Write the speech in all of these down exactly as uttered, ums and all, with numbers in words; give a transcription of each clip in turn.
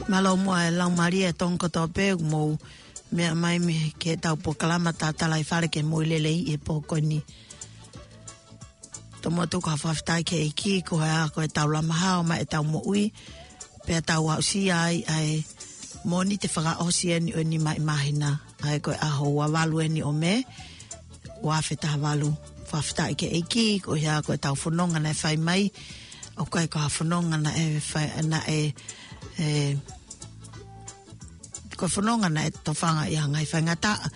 Mālō muʻa e laumālie ʻa e Tonga kotoa pē ʻoku mou meʻa mai mei he tau polokalama Tatalaifale ke mou lelei he pō ko eni. Tomuʻa tuku ha fakafetaʻi ki he ʻEiki koeʻuhi ko e tau lama hao mai e tau moʻui, pea tau aʻusia ai ʻa e Mōnite fakaʻosi eni ʻo e nima ʻi māhina, ʻa ia ko e ʻaho ua valu eni ʻo Mē, ua afe taha valu. Fakafetaʻi ki he ʻEiki koeʻuhi ko e tau fononga naʻe fai mai, ʻoku ʻikai ko ha fononga naʻe fai, naʻe, ē, ko e fononga naʻe tofanga ʻi ha ngaahi faingataʻa,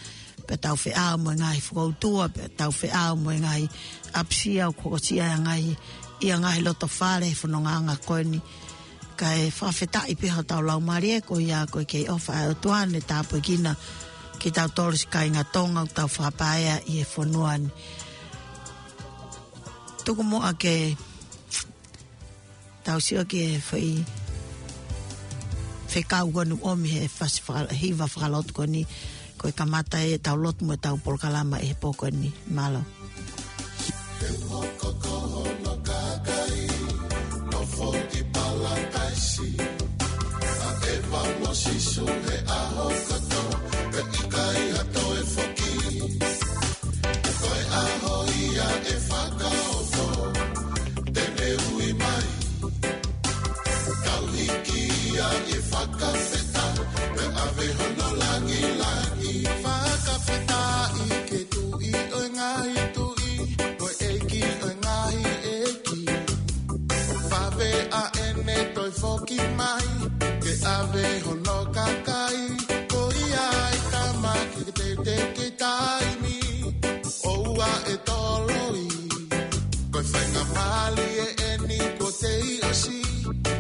pea tau feʻao mo e ngaahi fokoutua, pea tau feʻao mo e ngaahi ʻapasia ʻoku hokosia ʻi ha ngaahi, ʻi ha ngaahi loto fale he fonongaʻanga ko eni. Kae fakafetaʻi pē hotau laumālie koeʻuhi ko e kei ʻofa ʻa e ʻOtua ne tāpuekina kitautolu siʻi kāinga Tonga ʻoku tau fakapaea ʻi he fonua ni. Tuku muʻa ke tau sio ki he foʻi fekau ko eni ʻoku ʻomi he fasi faka-, hiva fakalotu ko eni, ko e kamata e tau lotu mo e tau polokalama he pō ko eni. Mālō. Nofo ʻi Palataisi, ʻa ʻEva mo Sīsū he ʻaho kotoa, pea ʻikai ha toe foki. Ko e ʻaho ia ʻe fakaofo, te ne ui mai. Tau hiki ia ʻi he fakafetaʻi, pea ʻave hono langilangi. Fakafetaʻi ki he Tuʻi ʻo e ngaahi tuʻi, ko e ʻEiki ʻo e ngaahi ʻeiki. Vave ʻa ʻene toe foki mai, ke ʻave hono kakai. Ko ia ʻa e tama ke te te ke taimi, ʻoua ʻe toloi. Ko e faingamālie eni kuo tei ʻosi,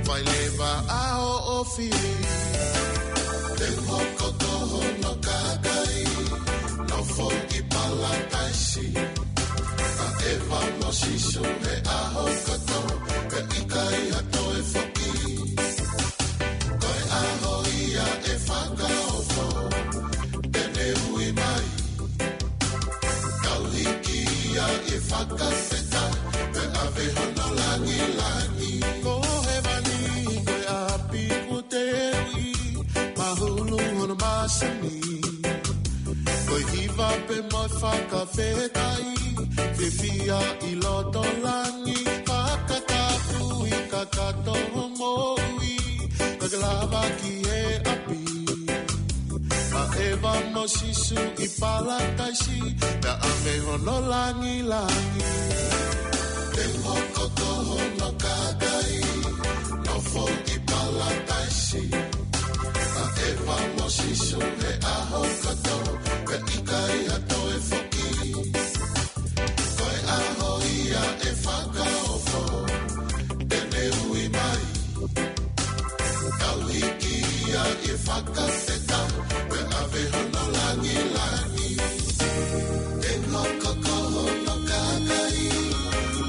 fai leva ʻa hoʻo fili. Te u hoko ko hono kakai, nofo ʻi Palataisi. ʻA ʻEva mo Sīsū he ʻaho kotoa, pea ʻikai ha toe foki. Ko e ʻaho ia ʻe fakaofo, te ne ui mai. Tau hiki ia ʻi he fakafetaʻi, pea ʻave hono langilangi. Ko hēvani ko e ʻapi kuo te ui, mahulu hono masani. Ko e hiva pē mo e fakafetaʻi, fiefia ʻi loto langi, fakatapu ʻi he kakato moʻui, ka ke lava ki he ʻapi. ʻA ʻEva mo Sīsū ʻi Palataisi, pea ʻave hono langilangi. Te u hoko ko hono kakai, nofo ʻi Palataisi. ʻA ʻEva mo Sīsū he ʻaho kotoa, pea ʻikai ha toe foki. Ko e ʻaho ia ʻe fakaofo, te ne ui mai. Tau hiki ia ʻi he fakafetaʻi, pea ʻave hono langilangi. Te u hoko ko hono kakai,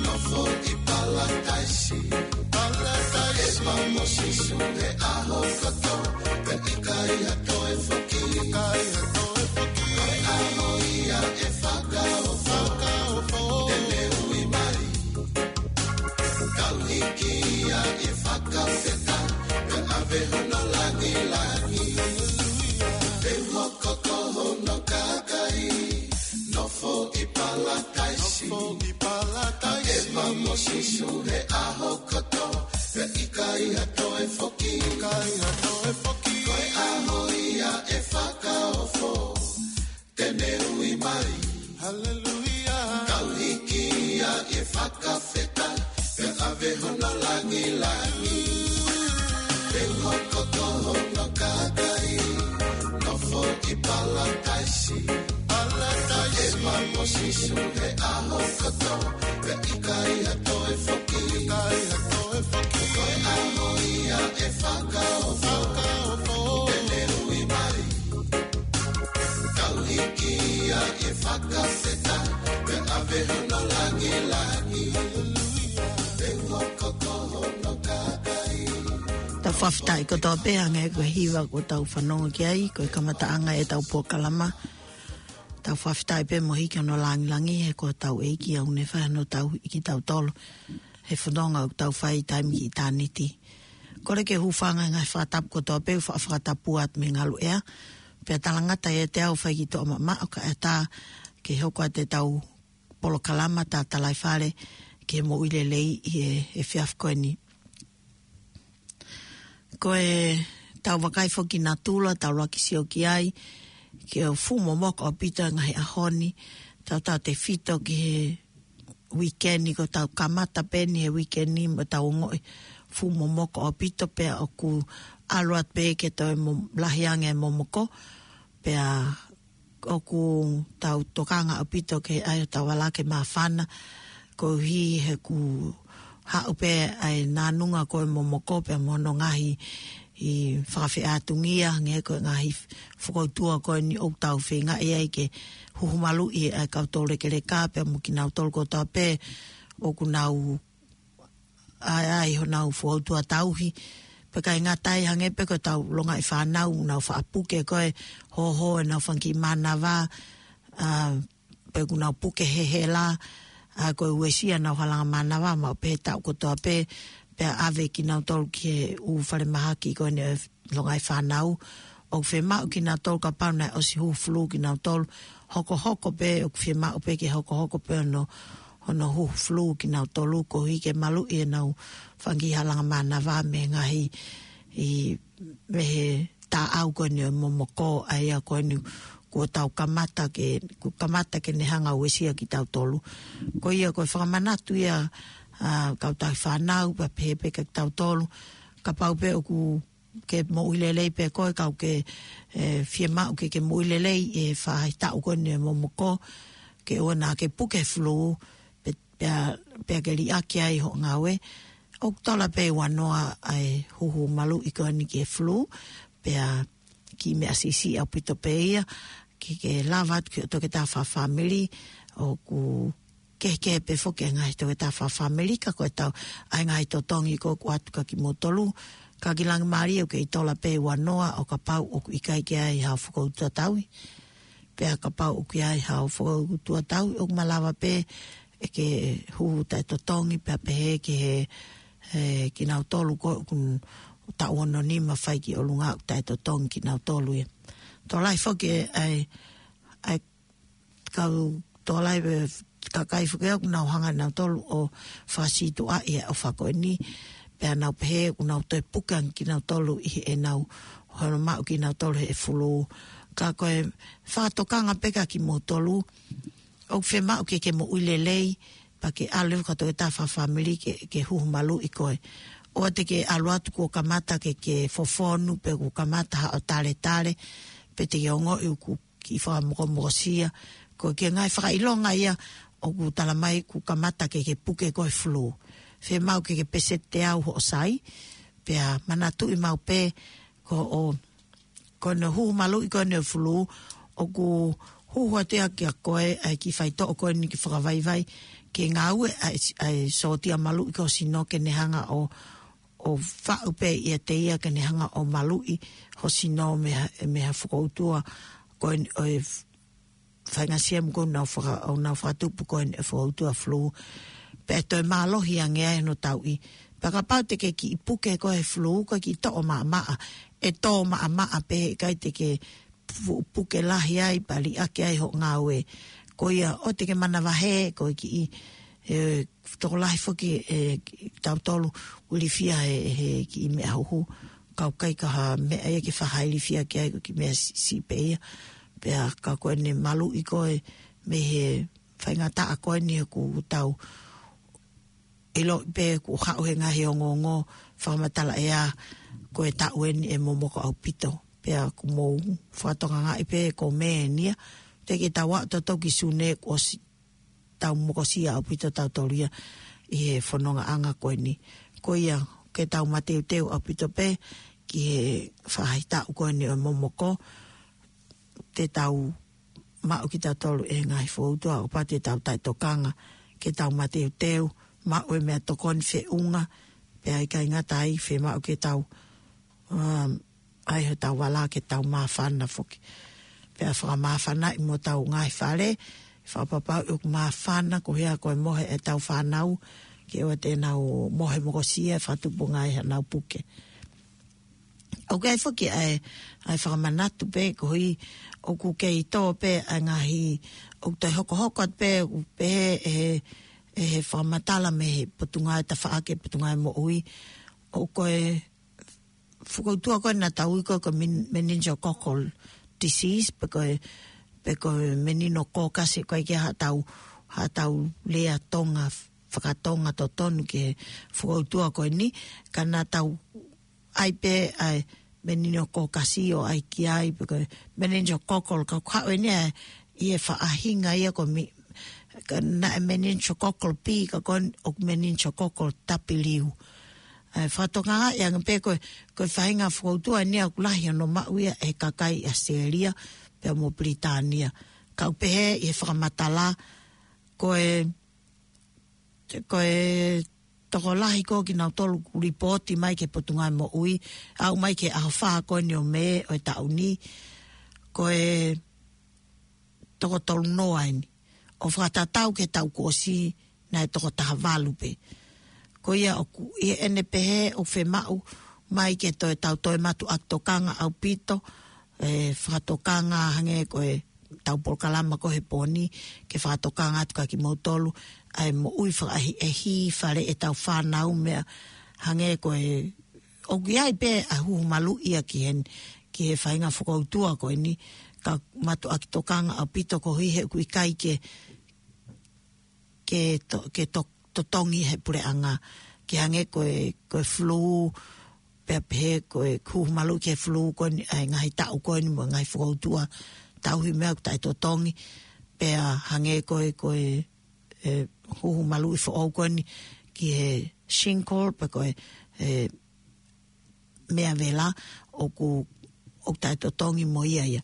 nofo ʻi Palataisi. Palataisi. ʻEva mo Sīsū he ʻaho kotoa, pea ʻikai ha toe foki. ʻIkai ha toe foki. Ko e ʻaho ia ʻe fakaofo, fakaofo. Te ne ui mai. Tau hiki ia ʻi he fakafetaʻi, pea ʻave hono langilangi. Te u hoko ko hono kakai, nofo ʻi Palataisi. Nofo ʻi Palataisi. ʻEva mo Sīsū he ʻaho kotoa, pea ʻikai ha toe foki. ʻIkai ha toe foki. Ko e ʻaho ia ʻe fakaofo, te ne ui mai. Haleluia. Tau hiki ia ʻi he fakafetaʻi, pea ʻave hono langilangi. Te u hoko ko hono kakai, nofo ʻi Palataisi. Palataisi. ʻEva mo Sīsū he ʻaho kotoa, pea ʻikai ha toe foki. ʻIkai ha toe foki. Ko e ʻaho ia ʻe fakaofo, fakaofo. Te ne ui mai. Tau hiki ia ʻi he fakafetaʻi, pea ʻave hono langilangi. Te u hoko ko hono kakai. Tau fakafetaʻi kotoa pē hangē ko e hiva kuo tau fanongo ki ai, ko e kamataʻanga e tau polokalama. Tau fakafetaʻi pē mo hiki hono langilangi he ko hotau ʻEiki ʻoku ne fai hono tauhi kitautolu he fononga ʻoku tau fai taimi ki ʻitāniti. Kole ke u hūfanga he ngaahi fakatapu kotoa pē, fa-, fakatapu atu mei Ngaluʻea. Pea talangata ʻiate au fai ki toʻa mamaʻo kae ʻatā ke hoko atu ʻetau polokalama Tatalaifale ki he moʻui lelei ʻi he, he efiafi ko eni. Ko ʻetau vakai foki ki natula, tau laki sio ki ai, ke fuʻu momoko ʻaupito e ngaahi ʻaho ni, tautautefito ki he uike ni, ko ʻetau kamata pē eni he uike ni mo ʻetau ongoʻi fuʻu momoko ʻaupito, pea ʻoku ʻalu atu pē ke toe mo-, lahi ange e momoko, pea ʻoku tau tokanga ʻaupito ke ʻai hotau vala ke māfana, koeʻuhi he ʻoku haʻu pē ʻa e nānunga ko e momoko pea mo hono ngaahi fakafeʻātungia, hangē ko e ngaahi fokoutua ko eni ʻoku tau feingaʻi ai ke huhu maluʻi ʻa e kau toulekeleka pea mo kinautolu kotoa pē ʻoku nau ʻai, ʻai honau fokoutua tauhi. Pea ʻikai ngata ai, hangē pē ko ʻetau longaʻi fānau, nau faʻa puke ko e hoho ʻenau fanga kiʻi mānava, ʻa, pe ʻoku nau puke he hela, ʻa, ko e uesia ʻenau halanga mānava, maʻu pē he taʻu kotoa pē, pea ʻave kinautolu ki he ʻū falemahaki ko eni ʻo e longaʻi fānau. ʻOku fiemaʻu kinautolu kapau naʻe ʻosi huhu fulū kinautolu, hokohoko pē, ʻoku fiemaʻu pē ke hokohoko pē hono, hono huhu fulū kinautolu, koeʻuhi ke maluʻi ʻenau fanga kiʻi halanga mānava mei he ngaahi, ʻi, mei he taʻau ko eni ʻo e momoko, ʻa ia ko eni kuo tau kamata ke, kuo kamata ke ne hanga ʻo uesia kitautolu. Ko ia ko e fakamanatu ia, ʻa, kau tauhi fānau, pea pehē pē kia kitautolu, kapau pē ʻoku ke moʻui lelei pē koe, ka ʻoku ke, ʻe, fiemaʻu ke ke moʻui lelei he faʻahitaʻu ko eni ʻo e momoko, ke ʻoua naʻa ke puke fulū, pe-, pea, pea ke liʻaki ai hoʻo ngāue. ʻOku tola pē ua noa ʻa e huhu maluʻi ko eni ki he fulū, pea kiʻi meʻa siʻisiʻi ʻaupito pē ia, ke, ke lava atu ki hoʻo toketā fakafāmili, ʻoku kehekehe pē foki e ngaahi toketā fakafāmili, ka ko ʻetau ʻai ngaahi totongi ko ē ʻoku ʻoatu kia kimoutolu, ka ki langi mālie ʻoku kei tola pē ua noa ʻo kapau ʻoku ʻikai ke ʻi ai haʻo fokoutua tauhi. Pea kapau ʻoku ʻi ai haʻo fokoutua tauhi, ʻoku malava pē ʻe ke huhu taʻetotongi, pea pehē ki he, he kinautolu ko ē ʻoku taʻu ono nima fai ki ʻolunga ʻoku taʻetotongi kinautolu ia. Tokolahi foki e, ʻa e, ʻa e kau tokolahi pē kakai foki ʻoku nau hanga nautolu ʻo fakasītuʻaʻi e ʻofa ko eni, pea nau pehē ʻoku nau toe puke ange kinautolu ʻi heʻenau hono maʻu kinautolu he fulū. Ka ko e fakatokanga pē kia kimoutolu, ʻoku fiemaʻu ke ke moʻui lelei, pea ke ʻalu ki hoʻo toketā fakafāmili ke, ke huhu maluʻi koe. ʻOua te ke ʻalu atu kuo kamata ke, ke fofonu, pe kuo kamata haʻo taletale, pe te ke ongoʻi ʻoku kiʻi fakamokomokosia. Ko e kiʻi ngaahi fakaʻilonga ia ʻoku talamai kuo kamata ke, ke puke koe fulū. Fiemaʻu ke, ke peseti teau hoʻo sai, pea manatuʻi maʻu pē ko hoʻo, ko hono huhu maluʻi ko eni ʻo e fulū, ʻoku huhu atu ia kia koe ʻa e kiʻi faitoʻo ko eni ke fakavaivai, ke ngāue ʻa e, ʻa e sōtia maluʻi ki ho sino ke ne hanga ʻo, ʻo faʻu pē ʻiate ia ke ne hanga ʻo maluʻi ho sino mei ha, mei ha fokoutua ko eni ʻo e faʻahinga siemu ko ē ʻoku nau faka-, ʻoku nau fakatupu ko eni e fokoutua fulū. Pea ʻe toe mālohi ange ai hono tauʻi. Pea kapau te ke kiʻi puke koe he fulū, ko e kiʻi toʻo maʻamaʻa. ʻE tō maʻamaʻa pē, ʻikai te ke pu-, puke lahi ai, pea liʻaki ai hoʻo ngāue. Ko ia, ʻoua te ke manavahē, ko e kiʻi, ʻe, tokolahi foki, ʻe, tautolu ʻoku ilifia he, he kiʻi meʻa huhu. Ka ʻoku ʻikai ko ha meʻa ia ke faʻa ilifia ki ai, ko e kiʻi meʻa si-, siʻi pē ia. Pea ka ko eni maluʻi koe mei he faingataʻa ko eni ʻoku tau ʻiloʻi pē ʻoku haʻu he ngaahi ongoongo fakamatala ʻea ko e taʻu eni ʻe momoko ʻaupito. Pea ʻoku mou fakatokangaʻi pē ko e meʻa eni ia, te ke tau aʻu tautolu ki Sune kuo ʻosi tau mokosia ʻaupito tautolu ia ʻi he fonongaʻanga ko eni. Ko ia, ke tau mateuteu ʻaupito pē ki he faʻahitaʻu ko eni ʻo e momoko, te tau maʻu kitautolu e ngaahi fokoutua, ʻo kapau te tau taʻetokanga, ke tau mateuteu, maʻu e meʻatokoni feʻunga, pea ʻikai ngata ai, fiemaʻu ke tau, um, ʻai hotau vala ke tau māfana foki. Pea fakamāfanaʻi mo hotau ngaahi fale, fakapapauʻi ʻoku māfana, ko e hā ko e mohe ʻetau fānau, ke ʻoua te nau mohe mokosia, fakatupu ange ai haʻanau puke. ʻOku ʻi ai foki ʻa e, ʻa e fakamanatu pē ko ē ʻoku kei tō pē ʻa e ngaahi, ʻoku toe hokohoko atu pē, ʻoku pehē ʻe he, ʻe he fakamatala mei he Potungāue Tafaʻaki, Potungāue Moʻui, ʻoku ko e fakautua ko ē naʻa tau ui ko e men-, meningococcal disease, pe ko e, pe ko e meningococcal, ko e ʻikai ke ʻi ai haʻatau, haʻatau lea Tonga, fakatonga totonu ki he fakautua ko eni, ka naʻa tau ʻai pē ʻa e meningococcal ʻo ʻai ki ai, pe ko e meningococcal, ka ʻoku haʻu eni ʻa e, ʻi he faʻahinga ia ko e mi-, ka naʻe meningococcal B, ka ko eni ʻoku meningococcal W. ʻA e fakatokangaʻi ange pē ko e, ko e faʻahinga fakautua eni ʻoku lahi hono maʻu ia ʻe he kakai ʻi ʻAositelēlia pea mo Pilitānia. Ka ʻoku pehē ʻi he fakamatala, ko e, ko e tokolahi ko ē kinautolu ʻoku lipooti mai ki he Potungāue Moʻui, aʻu mai ki he ʻaho fā ko eni ʻo Mē ʻo e taʻu ni, ko e toko tolunoa eni. ʻO fakatatau ki he taʻu kuo ʻosi naʻe toko tahavalu pē. Ko ia ʻoku, ʻi heʻene pehē ʻoku fiemaʻu mai ke toe tau toe mātuʻaki tokanga ʻaupito, ʻe fakatokanga hangē ko e tau polokalama ko ē he pō ni, ke fakatokanga atu kia kimoutolu, ʻa e moʻui fakaʻehiʻehi, faleʻi ʻetau fānau, meʻa hangē ko e, ʻoku ʻi ai pē ʻa e huhu maluʻi ia ki he, ki he faʻahinga fakautua ko eni, ka mātuʻaki tokanga ʻaupito koeʻuhi he ʻoku ʻikai ke, ke to-, ke to-, totongi ʻe he puleʻanga, ke hangē ko e, ko e flu, pea pehē ko e huhu maluʻi ki he flu ko eni, ʻa e ngaahi taʻu ko eni mo e ngaahi fakautua tauhi meʻa ʻoku taʻetotongi, pea hangē ko e, ko e, e, huhu maluʻi foʻou ko eni ki he shingles, pe ko e, e, meʻa vela ʻoku, ʻoku taʻetotongi mo ia ia.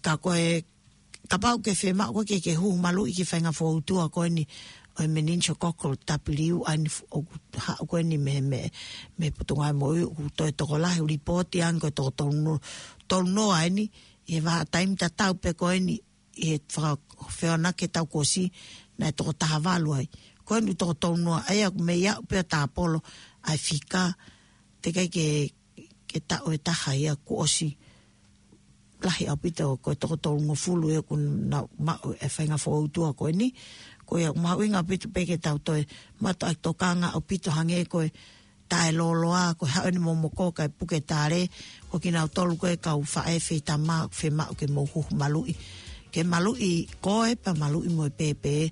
Ka ko e, kapau ʻoku ke fiemaʻu koe ke, ke huhu maluʻi ki he faʻahinga fakautua ko eni ʻo e meningococcal W, ʻa eni f-, ʻoku haʻu ko eni mei, mei, mei he Potungāue Moʻui, ʻoku toe tokolahi ʻoku lipooti ange ko e toko toluno-, tolunoa eni, ʻi he vahaʻa taimi tatau pē ko eni, ʻi he fakafehoanaki ki he taʻu kuo ʻosi, naʻe toko tahavalu ai. Ko eni toko tolunoa, ʻa ia ʻoku mei aʻu pē ʻo tāpolo ʻa e fika, teʻeki ai ke, ke taʻu ʻe taha ia kuo ʻosi. Lahi ʻaupito, ko e toko tolungofulu ia ʻoku nau maʻu e faʻahinga fakautua ko eni. Ko ia ʻoku mahuʻinga ʻaupito pē ke tau toe mātuʻaki tokanga ʻaupito hangē ko e taʻelōloa, ko e haʻu eni momoko kae puke tale, ko kinautolu ko e kau faʻē feitama, fiemaʻu ke mou huhu maluʻi. Ke maluʻi koe pea maluʻi mo e pēpē,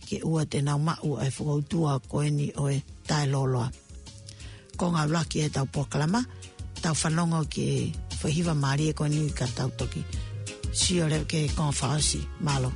ke ʻoua te nau maʻu ʻa e fakautua ko eni ʻo e taʻelōloa. Ko e ngāue ʻuluaki ʻetau polokalama, tau fanongo ki he foʻi hiva mālie ko eni ka tau toki sio leva ki he konga fakaʻosi. Mālō.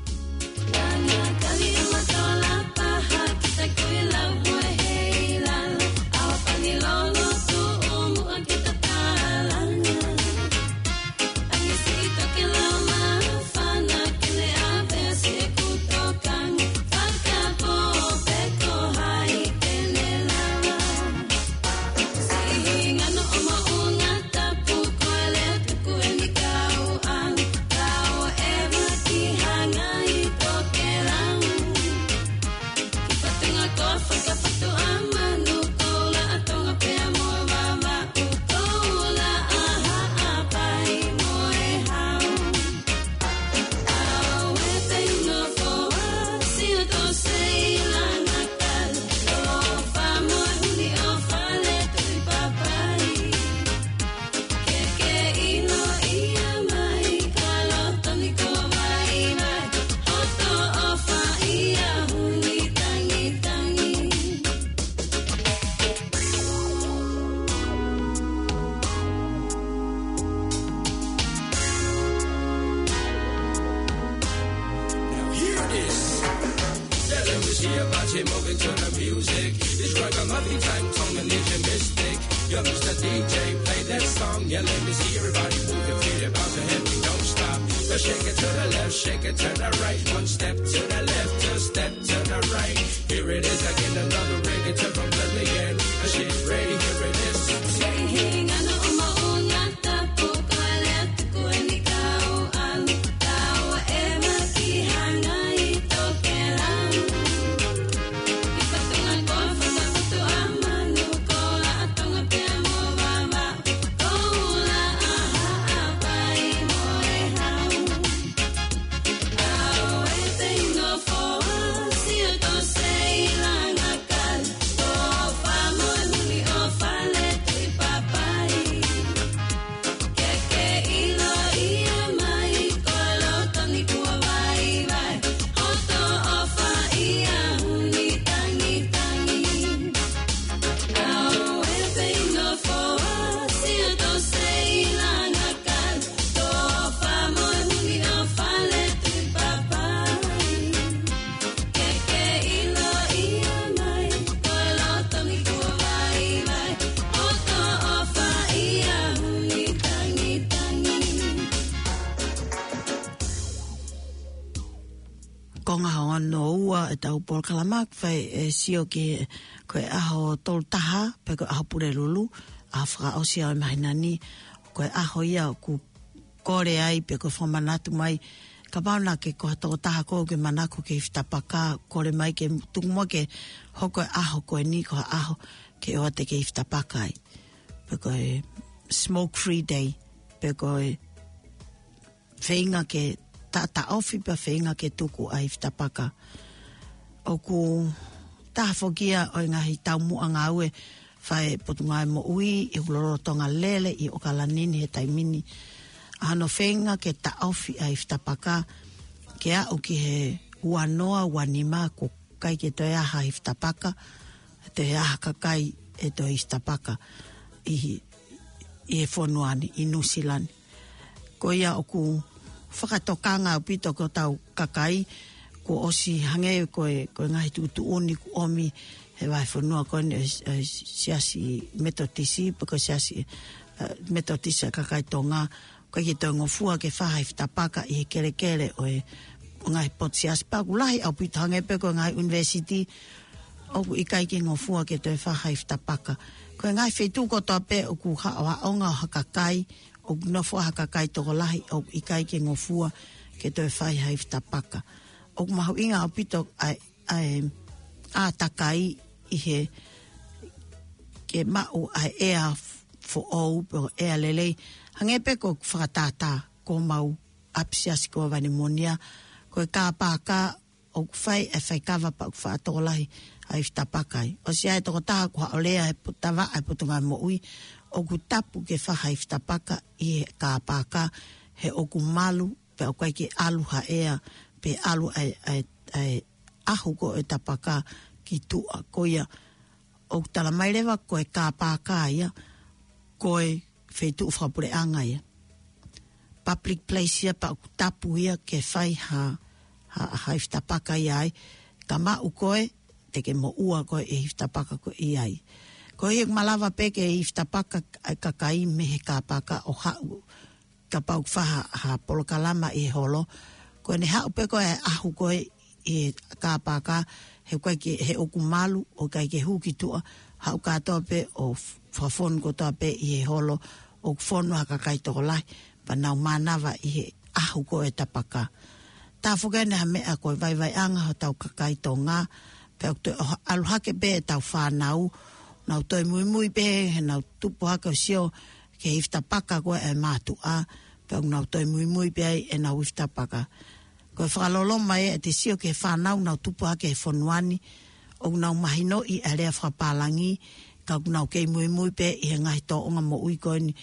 Now here it is. Yeah, let me see your body moving to the music. It's like a muffin time, Tongan is a mystic. Yo, Mister D J, play that song. Yeah, let me see everybody move your feet and bounce your head. Don't stop. Let's shake it to the left, shake it to the right. One step to the left, two step to the right. Here it is again, another reggaeton from Lillian. She's ready, here it is. Hono ua ʻetau polokalama, fai e sio ki he, ko e ʻaho tolu taha, pe ko e ʻaho Pulelulu, ʻaho fakaʻosi ʻo e māhina ni, ko e ʻaho ia ʻoku kole ai, pe ko e fakamanatu mai, kapau naʻa ke ko ha tokotaha ʻoku ke manako ke hifitapaka, kole mai ke tuku muʻa ke hoko e ʻaho ko eni ko ha ʻaho ke ʻoua te ke hifitapaka ai. Pe ko e smoke free day, pe ko e feinga ke ta-, taʻofi pea feinga ke tuku ʻa e hifitapaka. ʻOku taha foki ia ʻo e ngaahi taumuʻa ngāue fai ʻe he Potungāue Moʻui ʻi he lolotonga lele ʻi ʻAokalani ni he taimi ni. ʻA hono feinga ke taʻofi ʻa e hifitapaka ke aʻu ki he ua noa, ua nima ʻoku ʻikai ke toe ʻi ai ha hifitapaka, toe ʻi ai ha kakai ʻe toe hifitapaka ʻi, ʻi he fonua ni, ʻi Nuʻusila ni. Ko ia ʻoku fakatokanga ʻaupito ko ʻetau kakai, kuo ʻosi hangē ko e, ko e ngaahi tuʻutuʻuni kuo ʻomi he vahefonua ko eni ʻo e, ʻo e Siasi Metotisi, pe ko e Siasi, eh, Metotisi ʻa e kakai Tonga, ʻoku ʻikai ke toe ngofua ke fai ha hifitapaka ʻi he kelekele ʻo e, ʻo e ngaahi potu siasi, pea ʻoku lahi ʻaupito hangē pē ko e ngaahi ʻunivēsiti, ʻoku ʻikai ke ngofua ke toe fai ha hifitapaka. Ko e ngaahi feituʻu kotoa pē ʻoku haʻohaʻonga ʻo ha kakai, ʻoku nofo ai ha kakai tokolahi, ʻoku ʻikai ke ngofua ke toe fai ha hifitapaka. ʻOku mahuʻinga ʻaupito ʻa e, ʻa e ʻātakai ʻi he ke maʻu ʻa e ʻea foʻou pe ko e ʻea lelei. Hangē pē ko e fakatātā ko homau ʻapisiasi ko Vanemonia, ko e kāpaka ʻoku fai e faikava pea ʻoku faʻa tokolahi ʻa e hifitapaka ai. ʻOsi ʻi ai e tokotaha kuo haʻu ʻo lea he pu-, tavaʻa ʻa e Potungāue Moʻui, ʻoku tapu ke fai ha hifitapaka ʻi he kāpaka he ʻoku malu, pea ʻoku ʻikai ke ʻalu ha ʻea, pe ʻalu ʻa e, ʻa e, ʻa e ʻahu ko ē ʻo e tapaka ki tuʻa. Ko ia, ʻoku tala mai leva ko e kāpaka ia, ko e feituʻu fakapuleʻanga ia. Public place ia pea ʻoku tapu ia ke fai ha, ha, ha hifitapaka ia ai. Ka maʻu koe, te ke moʻua koe ʻi he hifitapaka ko ē ʻi ai. Ko ia ʻoku malava pē ke hifitapaka ʻa e kakai mei he kāpaka ʻo haʻu kapau ʻoku fai ha, ha polokalama ʻi he holo. Ko ʻene haʻu pē ko ē ʻahu ko ē ʻi he kāpaka, he ʻoku ʻikai ke, he ʻoku malu, ʻoku ʻikai ke hū ki tuʻa, haʻu kātoa pē ʻo f-, fakafonu kotoa pē ʻi he holo, ʻoku fonu ha kakai tokolahi, pea nau mānava ʻi he ʻahu ko ē ʻo e tapaka. Tā foki ʻeni ha meʻa ko e vaivaiʻanga hotau kakai Tonga, pea ʻoku toe ʻalu hake pē ʻetau fānau, nau toe muimui pē, he nau tupu hake ʻo sio ki he hifitapaka ko ē ʻa e mātuʻa, pea ʻoku nau toe muimui pē ai ʻenau hifitapaka. Ko e fakaloloma ia ʻete sio ki he fānau nau tupu hake he fonua ni, ʻoku nau mahinoʻi ʻa e lea fakapālangi, ka ʻoku nau kei muimui pē ʻi he ngaahi tōʻonga moʻui ko eni,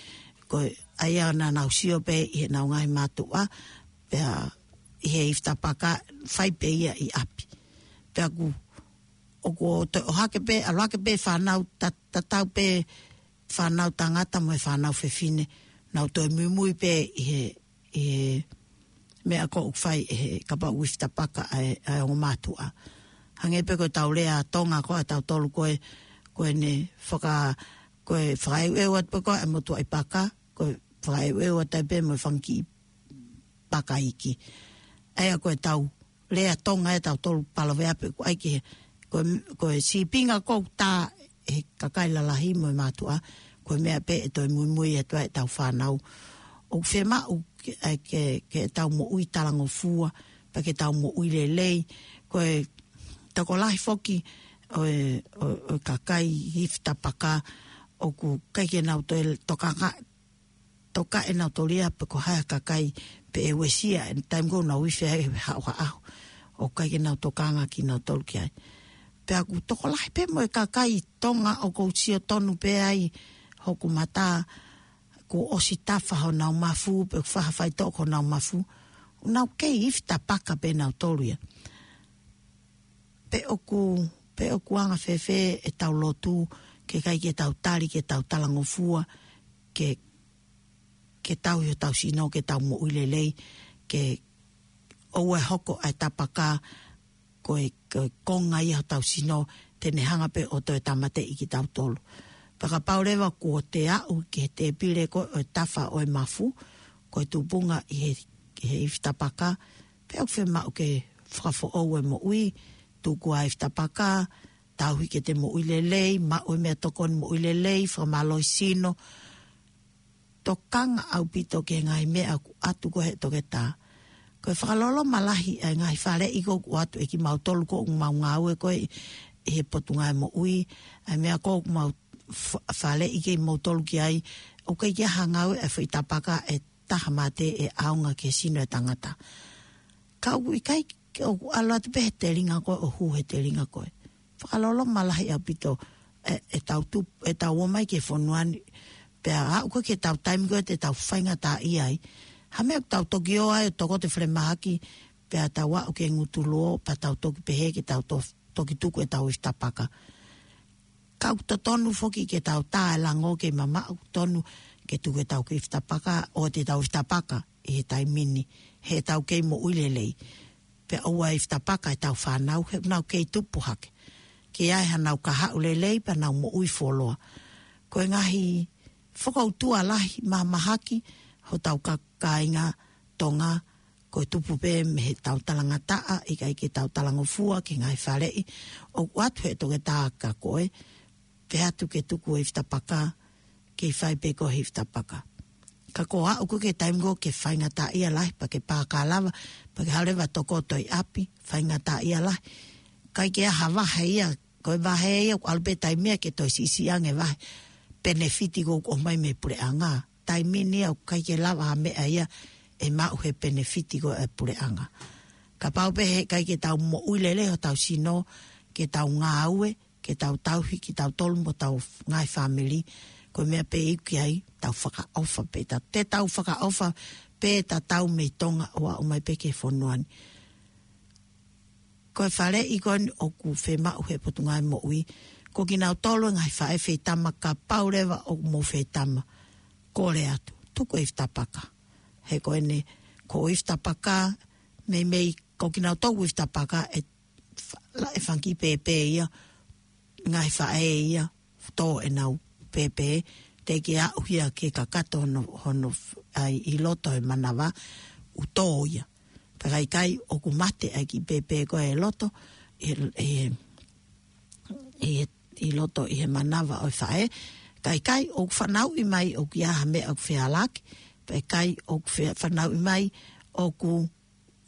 ko e ʻai ʻa naʻa nau sio pē ʻi heʻenau ngaahi mātuʻa, pea ʻi he hifitapaka fai pē ia ʻi ʻapi. Pea ʻoku, ʻoku toe ʻohake pē, ʻalu hake pē fānau ta-, tatau pē fānau tangata mo e fānau fefine, nau toe muimui pē ʻi he, ʻi he meʻa ko ē ʻoku fai ʻe he kapau ʻoku hifitapaka ʻa e, ʻa e ongo mātuʻa. Hangē pē ko ʻetau lea Tonga ko ē ʻatautolu ko ē, ko ʻene faka-, ko e fakaʻeuʻeu atu pē ko ē ʻa e motuʻaʻi paka, ko e fakaʻeuʻeu atu ai pē mo e fanga kiʻi paka iiki. ʻA ia ko ʻetau lea Tonga ʻatautolu paloveape ʻoku ʻai ki he, ko e, ko e sīpinga ʻoku tā ʻe he kakai lalahi mo e mātuʻa, ko e meʻa pē ʻe toe muimui atu ai ʻetau fānau. ʻOku fiemaʻu ke, ʻa e ke, ke tau moʻui talangofua, pea ke tau moʻui lelei, ko e tokolahi foki ʻo e, ʻo, ʻo e kakai hifitapaka, ʻoku ʻikai ke nau toe tokanga, toka ʻenau tōlia pe ko hai ha kakai pe ʻe uesia, ʻe taimi ko ē ʻoku nau ifi ai he haʻohaʻo. ʻOku ʻikai ke nau tokanga kinautolu ki ai. Pea ʻoku tokolahi pē mo e kakai Tonga ʻoku ou sio tonu pē ai hoku mata kuo ʻosi tafa honau mafu, pe ʻoku fai ha faitoʻo ki honau mafu. ʻOku nau kei hifitapaka pē nautolu ia. Pe ʻoku, pe ʻoku anga fēfē ʻetau lotu, ke ʻikai ke tau tali, ke tau talangofua, ke, ke tauhi hotau sino, ke tau moʻui lelei, ke ʻoua ʻe hoko ʻa e tapaka ko e, ko e konga ia hotau sino, te ne hanga pē ʻo toe tāmateʻi kitautolu. Pea kapau leva kuo te aʻu ki he tēpile ko ē ʻo e tafa ʻo e mafu, ko e tupunga ʻi he, ʻi he hifitapaka, pea ʻoku fiemaʻu ke fakafoʻou e moʻui, tuku ai e fitapaka, tauhi ke te moʻui lelei, maʻu e meʻatokoni moʻui lelei, fakamālohisino, tokanga ʻaupito ki he ngaahi meʻa ʻoku ʻoatu ko ē ʻe he toketā. Ko e fakaloloma lahi ʻa e ngaahi faleʻi ko ē ʻoku ʻoatu ʻe kimautolu ko ē ʻoku mau ngāue ko ē ʻi he Potungāue Moʻui, ʻa e meʻa ko ē ʻoku mau fa-, faleʻi kimoutolu ki ai, ʻoku ʻikai ke ʻi ai ha ngāue ʻa e foʻi tapaka ʻe taha mate ʻe ʻaonga ki he sino ʻo e tangata. Ka ʻoku ʻikai ke, ʻoku ʻalu atu pē he telinga ko ē, ʻo hū he telinga ko ē. Fakaloloma lahi ʻaupito ʻe, ʻetau tup-, ʻetau ō mai ki he fonua ni, pea aʻu ko ē ki heʻetau taimi ko ē te tau faingataʻaʻia ai. Ha meʻa ʻoku tau toki ō ai ʻo tokoto e falemahaki, pea tau aʻu ki he ngutu luo, pea tau toki pehē ke tau to-, toki tuku ʻetau fitapaka. Ka ʻoku totonu foki ke tau tā e lango ke mamaʻo, ʻoku tonu ke tuku ʻetau kiʻi fitapaka, ʻoatu ʻetau fitapaka ʻi he taimi ni, heʻetau kei moʻui lelei. Pea ʻoua ʻe fitapaka ʻetau fānau, he ʻoku nau kei tupu hake. Ke ʻi ai haʻanau kahaʻu lelei, pea nau moʻui fuoloa. Ko e ngaahi fokoutua lahi mahamahaki hotau ka-, kāinga Tonga, ko e tupu pē mei heʻetau talangataʻa, ʻikai ke tau talangofua ki he ngaahi faleʻi ʻoku ʻoatu ʻe he toketā kia koe, pehē atu ke tuku e fitapaka, kei fai pē koe e fitapaka. Ka ko e aʻu ko ē ki he taimi ko ē ke faingataʻaʻia lahi, pea ke pāka lava, pea ke haʻu leva ʻo tokoto ʻi ʻapi, faingataʻaʻia lahi. ʻIkai ke ʻi ai ha vahe ia, ko e vahe ia ʻoku ʻalu pē taimi ia ke toe siʻisiʻi ange e vahe penefiti ko ē ʻoku ʻomai mei he puleʻanga. Taimi ni ia ʻoku ʻikai ke lava ha meʻa ia ʻe maʻu he penefiti ko ē ʻa e puleʻanga. Kapau pē he ʻikai ke tau moʻui lelei hotau sino, ke tau ngāue, ke tau tauhi kitautolu mo hotau ngaahi fāmili, ko e meʻa pē ʻoku ʻi ai, tau fakaʻofa pē, ta-, te tau fakaʻofa pē tatau mei Tonga ʻo aʻu mai pē ki he fonua ni. Ko e faleʻi ko eni ʻoku fiemaʻu ʻe he Potungāue Moʻui, ko kinautolu e ngaahi faʻē feitama, kapau leva ʻoku mou feitama, kole atu, tuku e fitapaka. He ko eni, ko e fitapaka, meimei ko kinautolu e fitapaka, ʻe fa-, la-, ʻe fanga kiʻi pēpē ia, ngaahi faʻē ia, tō ʻenau pēpē, teʻeki aʻu ia ke kakato hono, hono f-, ʻai ʻi loto he manava, ʻoku tō ia. Pea ka ʻikai ʻoku mate ʻa e kiʻi pēpē ko ē ʻi loto, ʻi, ʻi, ʻi, ʻi loto ʻi he manava ʻo e faʻē. Ka ʻikai ʻoku fanauʻi mai ʻoku ʻi ai ha meʻa ʻoku fehālaaki, pea ʻikai ʻoku fe-, fanauʻi mai ʻoku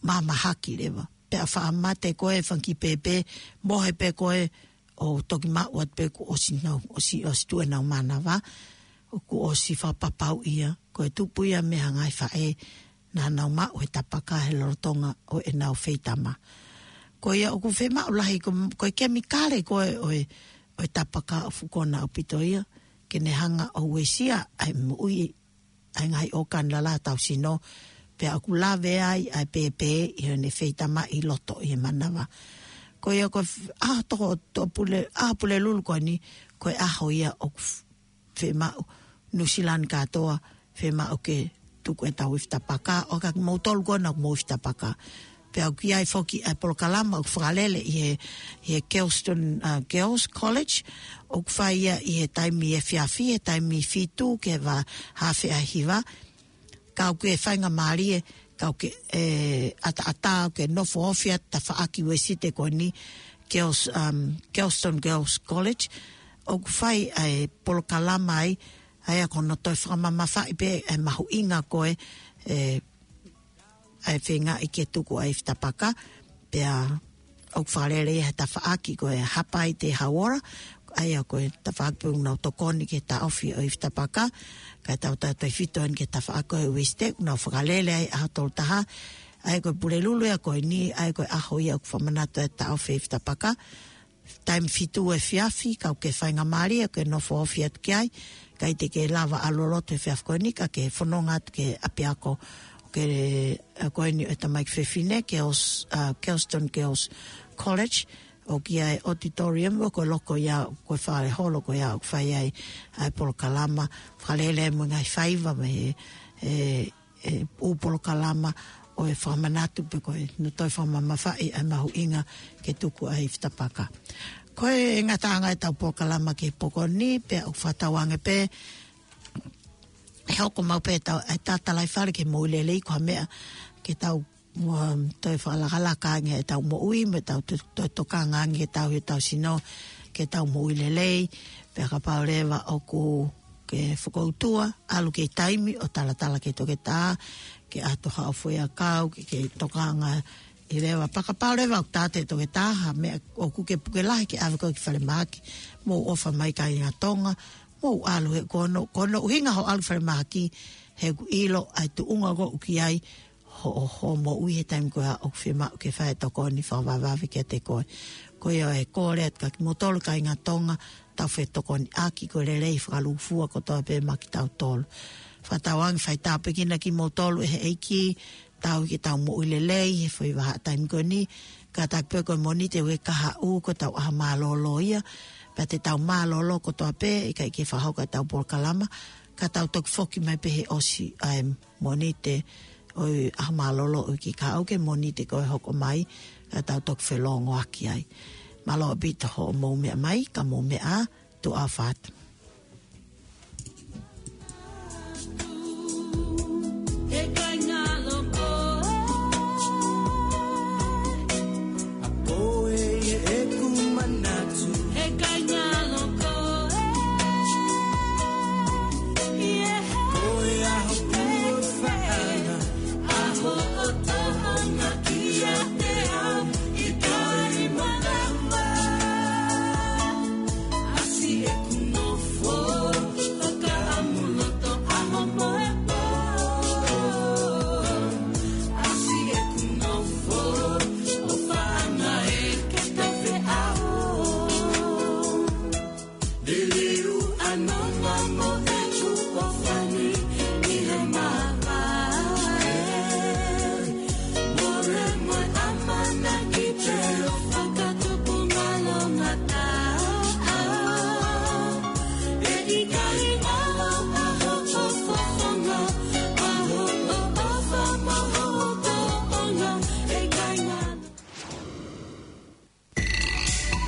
mahamahaki leva. Pea faʻa mate ko ē fanga kiʻi pēpē, mohe pē ko ē ʻo toki maʻu atu pē kuo ʻosi nau, ʻosi, ʻosi tuʻu ʻenau manava, ʻoku ʻosi fakapapauʻi ia, ko e tupu ia mei he ngaahi faʻē naʻa nau maʻu he tapaka he lolotonga ʻo ʻenau feitama. Ko ia ʻoku fiemaʻu lahi ko, ko e kemikale ko ē ʻo e, ʻo e tapaka ʻoku fukona ʻaupito ia, ke ne hanga ʻo uesia ʻa e moʻui ʻa e ngaahi ʻōkani lalahi hotau sino, pea ʻoku lave ai ʻa e pēpē ʻi heʻene feitama ʻi loto ʻi he manava. Ko ia ko e f-, ʻaho toko, to Pule-, ʻaho Pulelulu ko eni, ko e ʻaho ia ʻoku f-, fiemaʻu, Nuʻusila ni kātoa, fiemaʻu ke tuku ʻetau ifi tapaka, ʻo ka kimoutolu ko ena ʻoku mou ifi tapaka. Pea ʻoku ʻi ai foki ʻa e polokalama ʻoku fakalele ʻi he, ʻi he Kelston, uh, Girls College, ʻoku fai ia ʻi he taimi efiafi, he taimi fitu ki he vahaʻa afe ʻa e hiva. Ka ʻoku ke faingamālie, ka ʻoku ke, ʻe, ʻataʻatā, ʻoku ke nofo ofi atu he tafaʻaki Uēsite ko eni, Girls, um, Kelston Girls College, ʻoku fai ʻa e polokalama ai, ʻa ia ko hono toe fakamamafaʻi pē ʻa e mahuʻinga ko ē, ʻe, ʻa e feingaʻi ke tuku ʻa e ifi tapaka, pea ʻoku fakalele ia he tafaʻaki ko e Hapai Te Hauora, ʻa ia ko e tafaʻaki pē ʻoku nau tokoni ke taʻofi ʻo e ifi tapaka, kae tautautefito eni ki he tafaʻaki ko ē Uēsite, ʻoku nau fakalele ai ʻaho tolu taha, ʻa ia ko e Pulelulu ia ko eni, ʻa ia ko e ʻaho ia ʻoku fakamanatu ai e taʻofi e ifi tapaka, taimi fitu efiafi, ka ʻoku ke faingamālie, ʻoku ke nofo ofi atu ki ai, ʻikai te ke lava ʻalu ʻo lotu he efiafi ko eni, ka ke fononga atu ki he ʻapiako, ʻo e, ʻa, ko eni ʻo e tamaiki fefine, Girls, ʻa, Kelston Girls College, ʻoku ʻi ai e auditorium, ʻoku loko ia, ko e fale holo ko ia, ʻoku fai ai ʻa e polokalama, fakalele mo e ngaahi faiva mei he, ʻe, ʻū polokalama ʻo e fakamanatu pe ko e, nau toe fakamamafaʻi ʻa e mahuʻinga ke tuku ʻa e ifi tapaka. Ko e ngataʻanga ʻetau polokalama ki he pō ko eni, pea ʻoku fakatauange pē, ʻe hoko mai pē ʻetau, ʻa e tatalaifale ki he moʻui lelei ko ha meʻa ke tau Mo toe fakalakalaka ange ʻetau moʻui, mo ʻetau to-, to-, tokanga ange ke tau, ʻetau sino, ke tau moʻui lelei. Pea kapau leva ʻoku ke fokoutua, ʻalu ki he taimi ʻo talatala ki he toketā, ke ʻato haʻo foʻiʻakau, ke, ke tokanga ʻi leva. Pea kapau leva ʻoku tāte toketā, ha meʻa ʻoku ke puke lahi ke ʻave koe ki falemahaki, mou ʻofa mai kāinga Tonga, mou ʻalu he ko hono, ko hono ʻuhinga hoʻo ʻalu falemahaki, he ʻoku ʻilo ʻa e tuʻunga ʻoku ke ʻi ai, hoʻo, hoʻo moʻui he taimi ko ia ʻoku fiemaʻu ke fai e tokoni fakavavevave kiate koe. Ko ia e kole atu kia kimoutolu kāinga Tonga, tau fetokoniʻaki ko e lelei fakalūkufua kotoa pē maʻa kitautolu. Fakatauange fai tāpuekina kimoutolu ʻe he ʻEiki, tau ke tau moʻui lelei, he foʻi vahaʻa taimi ko eni, kātaki pē ko e Mōnite ʻoku kahaʻu ko ʻetau ʻaho mālōlō ia, pea te tau mālōlō kotoa pē, ʻikai ke fakahoko ʻetau polokalama, ka tau toki foki mai pē he ʻosi ʻa e Mōnite ʻo e ʻaho mālōlō ʻo e uike kahaʻu ki he Mōnite ko ē hoko mai, ka tau toki felōngoaki ai. Mālō ʻaupito hoʻomou meʻa mai, ka mou meʻa ā, tuʻa ʻofa atu.